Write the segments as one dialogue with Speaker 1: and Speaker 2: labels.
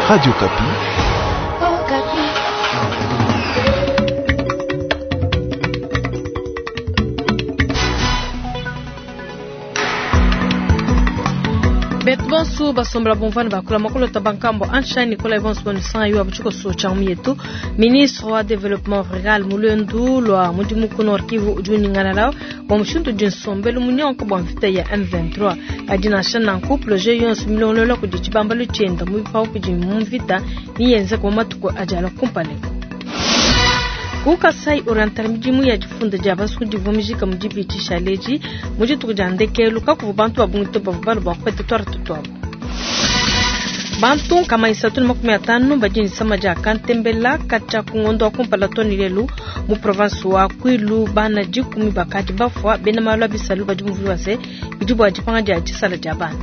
Speaker 1: Radio Okapi.
Speaker 2: Betu bonso basombola bomvana bakula makolota bankambo ansha Nicolas bonso bonisanga yo abuchiko cha yetu ministre wa développement rural mulendu lwa mudimu ku Nord Kivu udi unyingalala bua mushindu udi nsombelu munyonka bua mvita ya M23 kadi nansha nanku projet yonso milongolola kudi tshibambalu tshienda mu bipawu bidi mu mvita niyenzeka mu matuku adi alua kumpala. Ku Kasai Oriental midimu ya difunda dia basukudi ivua mijika mu dibidi tshishale mu dituku dia ndekelu kakuvua bantu ba bungi to bavua balua bua kupeta tuarte tuabu. Bantu 350 badi ne disama dia kantembela katshia ku ngondo wa kumpala too ne lelu mu province wa Kwilu bana 10 bakadi bafua. Bena malu a bisalu badi bumvuija se bidi bua dipanga dia disala dia bana.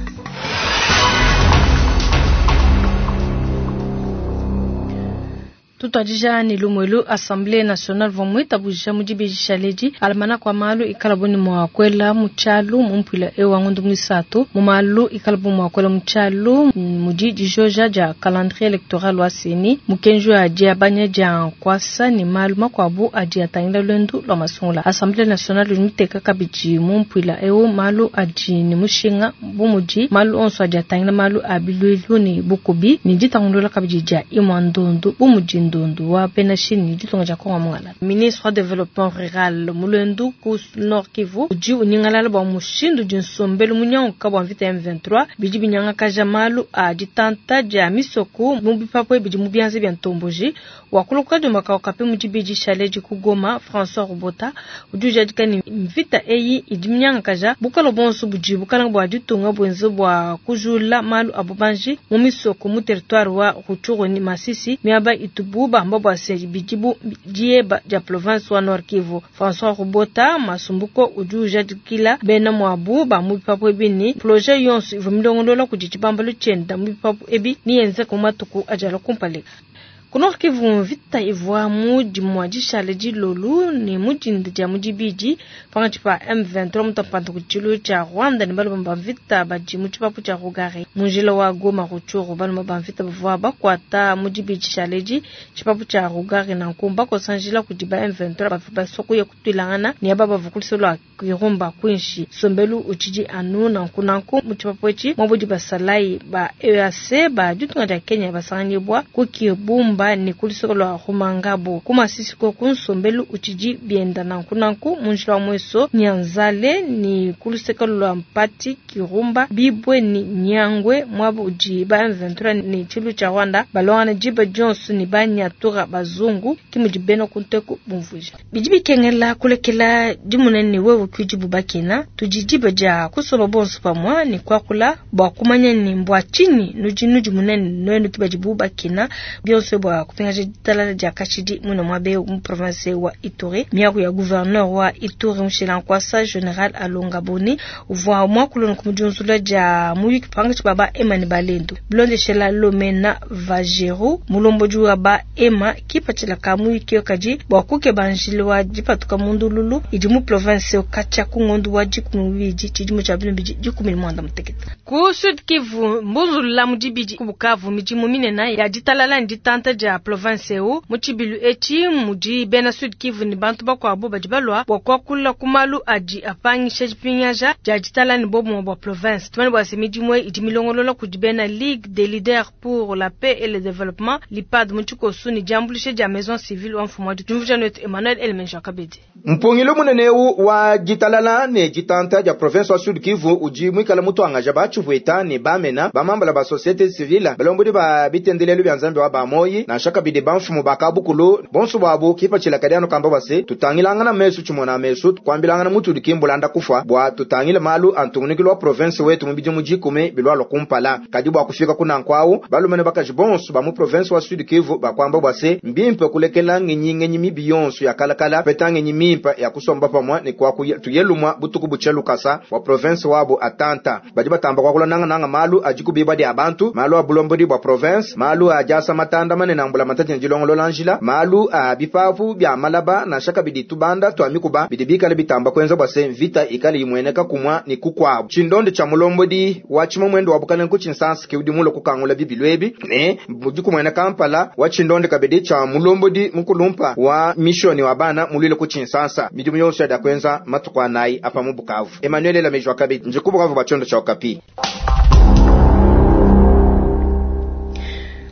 Speaker 2: Tutuadija ne lumuelu Assemblée nationale uvua muitabuja mu dibidi tshialedi almanach wa malu ikalabu ne mua kuela mu tshialu mu mpuila eu wa ngondo muisatu. Mu malu ikalabu mua kuela mu tshialu mudi dijoja dia calendrier electoral wa CENI, mukenji wa diabanya dia nkuasa ne malu makuabu adi atangila luendu lua masungula. Assemblée nationale udi muteka kabidi mu mpuila eu malu adi ne mushinga bu mudi malu onso adi atangila malu a biluilu ne bukubi ne ditangulula kabidi dia imua ndundu bu mudi ndundu wa bena Chine ne ditunga dia Kongo mungala. Ministre wa développement rural mulendu ku Nord Kivu udi unyingalala bua mushindu udi nsombelu munyanguka bua mvita ya M23 bidi binyangakaja malu a ditanta dia misoko mu bipapu bidi mu bianza bia ntomboji. Wakuluka kadiomba ka Okapi mu dibidi tshialedi ku Goma, François Rubota udi ujadika ne mvita eyi idi minyangakaja bukole bonso budi bukalanga bua ditunga buenze bua kujula malu a bubanji mu misoko mu territoire wa Rutshuru ne Masisi miaba itubu bamba bua se bidi bu dieba dia province wa Nord Kivu. François Rubota Masumbuko udi ujadikila bena muabu ba mu bipapu ebi ne projet yonso ivua milongolola kudi tshibambalu tshienda mu bipapu ebi niyenzeka mu matuku adi alua kumpala. Ku Nord Kivu mvita ivua mu dimua dishale dilolu ne mu dinda dia mu dibidi pankatshi pa M23 mutampanta ku tshilu tshia Rwanda ne balume ba mvita badi mu tshipapu tshia Rugari mu njila wa Goma Rutshuru. Balume ba mvita bavua bakuata mu dibidi tshialedi tshipapu tshia Rugari nanku bakosa njila kudi ba M23 bavua basua kuya kutuilangana ne aba bavua ku luseke lua Kirumba kuinshi. Nsombelu utshidi anu nanku nanku mu tshipapu etshi muabudi basalayi ba EAC ba ditunga dia Kenya basanganyibua ku Kibumba ne ku luseke lua Rumangabo. Ku Masisi koku nsombelu utshidi bienda nanku nanku mu njila wa Mweso Nyanzale ne ku luseke lua Mpati Kirumba Bibwe ne Nyangwe muaba udi ba M23 ne tshilu tshia Rwanda baluangana diba dionso ne ba Nyatura bazungu ke mudi bena ku nteku bumvuija. Bidi bikengela kulekela dimuna ne wewe ke udibu bakina. Tudi diba dia kusomba bonso pamue ne kuakula bua kumanya ne mbua tshinyi nudi nudimuna ne nuenu ke badibu bakina. Bionso bua kupingaja ditalala dia kashidi muine muaba eu mu province wa Ituri. Miaku ya gouverneur wa Ituri mushila nkuasa General Alonga Boni uvua muakule ku diunzula dia muyuki pankatshi pa ba Ema ne Balendu. Bilondeshela Lomena Vajeru mulombodi wa ba Ema kipatshila ka muyuki kadi bua kukeba njila wa dipatuka mu ndululu idi mu province katshia ku ngondo wa 12 tshidimu tshia 2018. Ku Sud Kivu mbunzulula mu dibidi ku Bukavu midimu minene ya ditalala ne ditanta dia province eu. Mu tshibilu etshi mudi bena Sud Kivu ne bantu bakuabu badi balua bua kuakula ku malu adi apangisha dipingaja dia ditalala ne bobumue bua province. Tumanye bua se midimu eyi idi milongolola kudi bena Ligue des leaders pour la paix et le développement LIPAD mu tshikoso ne diambuluisha dia Maison civile wa mfumu wa diumvuija netu Emmanuel Elemenja Kabedi.
Speaker 3: Mpungilu munene eu wa ditalala ne ditanta dia province wa Sud Kivu udi muikale mutuangaja ba tshipuita ne bamena bamambala ba société civile balombodi ba bitendelelu bia Nzambi wa bamoyi nansha kabidi bamfumu ba kabukulu bonso bwabu kipatshila kadi anu kamba bwase tutangilangana mesu tshimona mesu kuambilangana mutudi kimbulanda kufa bua tutangile malu antungunukilu wa province wetu mu bidimu dikumi bilwalwa kumpala kadi bua kufika kunanku balume ne bakaji bonso ba mu province wa Sud Kivu bakwamba bwase mbimpe kulekela ngenyi ngenyi mibi yonso ya kalakala peta ngenyi mimpa ya kusomba pamwe ne kwa tuyelumwa butuku butshe lukasa wa province wabo atanta badi batamba kwakula nanga nanga malu adi kubiba dia bantu malu a bulombodi bua province malu a diasa matanda manene. bunena mbulamatadi ne dilongolola njila, malu a bipapu bia malaba nansha kabidi tubanda twa mikuba bidi bikale bitamba kuenza bua se mvita ikale imueneka kumua ne kukuabu. Tshindonde tshia mulombodi wa tshimamwendo wa bukalenge ku Tshinsansa ke udi mulue kukangula bibilu ebi ne budi kumueneka mpala wa tshindonde kabidi tshia mulombodi mukulumpa wa missioni wa bana muluile ku Tshinsansa. Midimu yonso ya kuenza matuku anayi apa mu Bukavu. Emmanuel Elameji wa kabidi ndi ku Bukavu bua tshiondo tshia Okapi.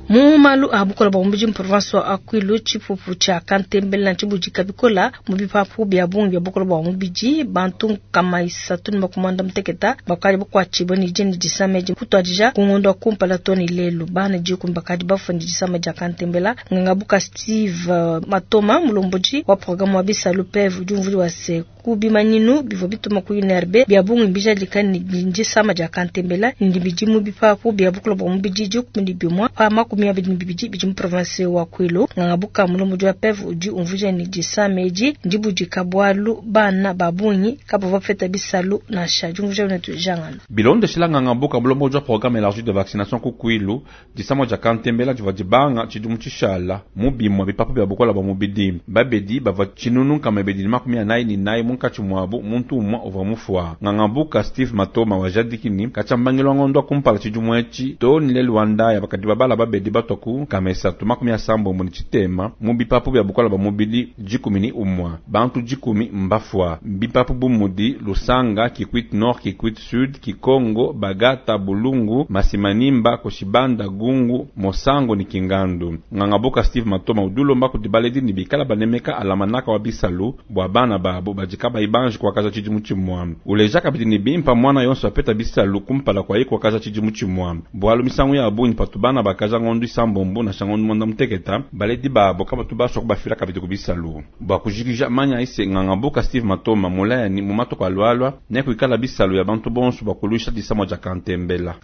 Speaker 2: Mu malu a bukola bua mubidi mu province wa Kwilu, tshipupu tshia kantembela ntshibudika bikola mu bipapu bia bungi bia bukola bua mubidi. Bantu 360 bakadi bakuatshibue ne dina disama edi kutuadija ku ngondo wa kumpala too ne lelu. Bana 10 bakadi bafua ne disama dia kantembela. Ngangabuka Steve Matoma, mulombodi wa programme wa bisalu PEV, udi umvuija wa se ku bimanyinu bivua bituma ku INRB bia bungi mbijadika ne disama dia kantembela ndi bidi mu bipapu bia bukola bua mubidi 11 pa 22 bidi mu province wa Kwilu. Ngangabuka mulombodi wa PEV udi umvuija ne disama edi ndibudika bualu bana ba bungi kabavua bapeta bisalu nansha. Diumvuija netu jangana.
Speaker 1: Bilondeshila ngangabuka mulombodi wa programme élargi de vaccination ku Kwilu, disama dia kantembela divua dibanga tshidimu tshishala mu bimue bipapu bia bukola bua mubidi. Babedi bavua 1444 munkatshi muabu muntu umue uvua mufua. Ngangabuka Steve Matoma wa jadikini katshambangilo ngondo kumpala tshidimu etshi to ni lelu wa ndaya bakadi babala babedi batwa ku 383 mu bipapu bia bukola bua mubidi 11 bantu 10 mbafua. Bipapu bu mudi Lusanga, Kikwit Nord, Kikwit Sud, Kikongo, Bagata, Bulungu, Masimanimba, Koshibanda, Gungu, Mosango ni Kingandu. Ngangabuka Steve Matoma udulomba kudi baledi ni bikala banemeka alamanaka wa bisalu bua bana babo badika baibanji kuakaza tshidimu tshimue. Uleja kabidi ni bimpa mwana yonso apeta bisalu kumpala kwa ye kuakaza tshidimu tshimue. Bualu misangu ya bungi patu bana bakaza ngondu isambombo na shangondu mwanda muteketa, baledi babo kabatu baswa kubafila kabidi ku bisalu. Bua kujikija manya ise ngangabuka Steve Matoma mulaya ni mu matuku alualua ne kuikala bisalu ya bantu bonso bua kuluisha disama dia kantembela.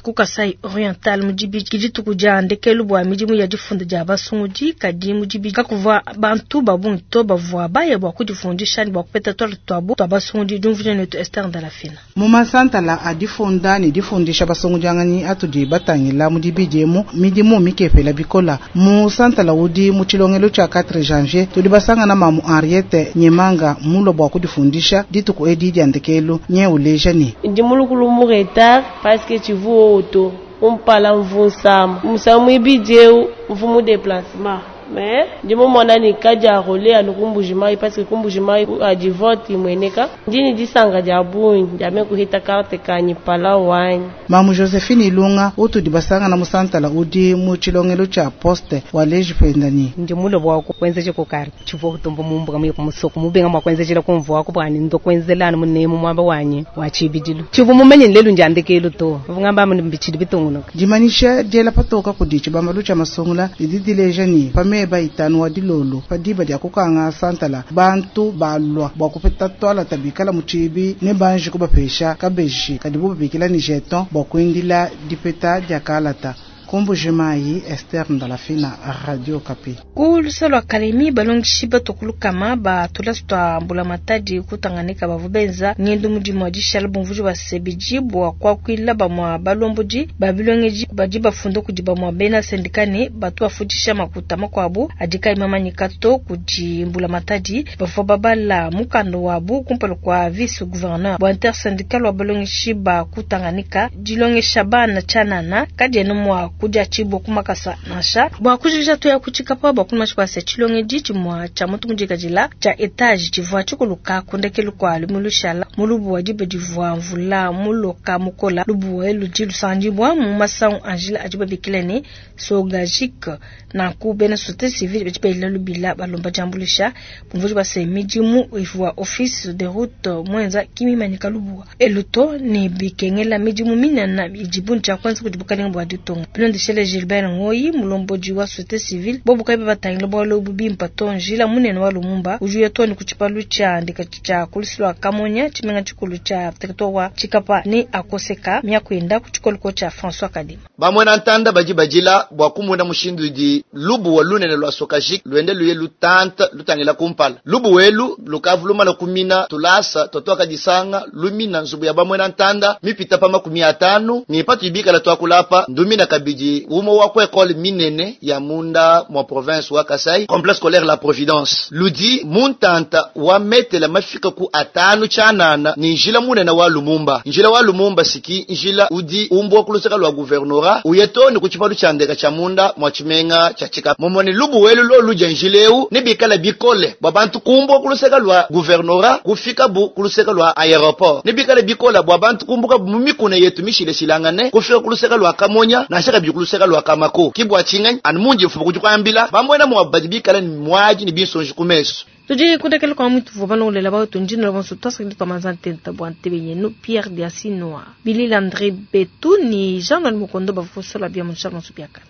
Speaker 2: Ku Kasai Oriental mudibi dituku dia ndekelu bua midimu ya difunda dia basungudi, kadi mudibi kakuvua bantu ba bungi to bavua baya bua kudifundisha ne bua kupeta twala twabo twa basungudi. Diumvuija netu Esther Ndalafina.
Speaker 4: Mu masantala a difunda ne difundisha basungudianganyi atudi batangila mudibi diemu midimu mikepela bikola. Mu santala udi mu tshilongelo tshia 4 janvier tudi basangana mamu Henriette Nyemanga mulo bua kudifundisha dituku edi dia ndekelu nye uleja ni
Speaker 5: ndi mulukulu mu retard parce que tu vois auto umpala mvunsama musamu ibideu mvumu déplacement mais ndi mumona ni kaja role anu kumbujimai parce que kumbujimai adi vote imweneka ndini disanga dia bungi ndiame kuhita carte kanyi pala wanyi.
Speaker 4: Mamu Josephine Ilunga utudi basanga na musantala udi mu tshilongelo tshia poste wa leji pendani
Speaker 6: ndi mulo bwa kwenzeje ko carte tshivo kutombo mumbuka muye kumusoko mubenga mwa kwenzejela kumvwa ko bwani ndo kwenzelana munemu mwamba wanyi wa chibidilu tshivo mumenye lelu njandekelu to vungamba mu mbichidi bitungunuka.
Speaker 4: Dimanisha diela patoka kudi tshibambalu tshia masungula didi dileja ni pameba itanu wa dilolo padiba dia kukanga santala bantu balwa bwa kupeta twala tabikala muchibi ne banji kubapesha kabeji kadibu babikila ni jeton bwa kuindila dipeta dia kalata. Kumbujimai Esther Ndalafina, Radio Okapi.
Speaker 2: Ku lusalo lwa Kalemi balongeshi batokulukama batula twa mbulamatadi kutanganika bavua benza ngendo mudimu wa dishala bumvuji bwa sebiji bwa kwakuila bamwa balombodi babilongeji badi bafunda kudi bamwa bena sendika ne batu bafundisha makuta makuabu adi imamanyika to kudi mbulamatadi bavua babala mukanda wabu kumpala kwa vice gouverneur bwa intersyndical wa balongeshi ba kutanganika dilongesha bana tshanana kadiena mwa kudia chibo kumakasa nansha bwa kujija to ya kuchikapa bwa kunwa chipasa chilongeji chimwa cha mutu mujikajila cha etage chivwa chikuluka kundekelu kwa lumushala mulubu wa dibe divwa mvula muloka mukola lubu elu jilusanjibwa mu masangu Angela ajiba bikilene sogajik na ku bena société civile bechipela lubila balomba jambulisha bumvuji base midimu ivwa office de route mwenza kimimanyika lubu eluto ni bikengela midimu minana ijibunja kwanza kudibukalenga bwa ditonga. Bilondeshele Gilbert Ngoyi, mulombodi wa société civile, bobu kayi batangila bualu ebu bimpe to. Njila munene wa Lumumba udi uya too ne ku tshipalu tshia ndeka tshia ku lusu lua Kamonya, tshimenga tshikulu tshia territoire wa Tshikapa ne akoseka miaku yenda ku tshikoliko tshia François Kadima.
Speaker 7: Bamwena ntanda badi badila bua kumona mushindu udi lubuwa lunene lua Sokajik luende luye lutanta lutangila kumpala. Lubuwa elu lukavu lumala kumina tulasa twatwakadisanga lumina nzubu ya bamwena ntanda mipita pa 50 ne patu ibikala twakulapa ndumina kabidi umwe wa ku ekole minene ya munda mwa province wa Kasai, complexe scolaire La Providence ludi muntanta wa metela mafika ku 5 tshianana ni njila munene wa Lumumba. Njila wa Lumumba siki njila udi umbwa kuluseka lwa gouvernorat uyeto ni kuchipalu cha ndeka cha munda mwa chimenga cha Tshikapa. Momoni lubu welu lo luja njileu ni bikala bikole bwa bantu kumbwa kuluseka lwa gouvernorat kufika bu kuluseka lwa aéroport, ni bikala bikola bwa bantu kumbuka mu mikuna yetu mishile shilangane kufika kuluseka lwa Kamonya na shaka bi kuluseka lwa Kamako kibwa chingany an munji mfumu kujikwambila bamwena mwa badi bikala ni mwaji ni binsonji kumeso.
Speaker 2: Tudi kundekela kwa mwitu vua balolela bawetu njina la bonso twasakili twa manza ntenta bua ntebe yenu Pierre Diasinoa Billy Landry Betu ni Jean Noël Mukondo bavusola bia munsha bonso biakana.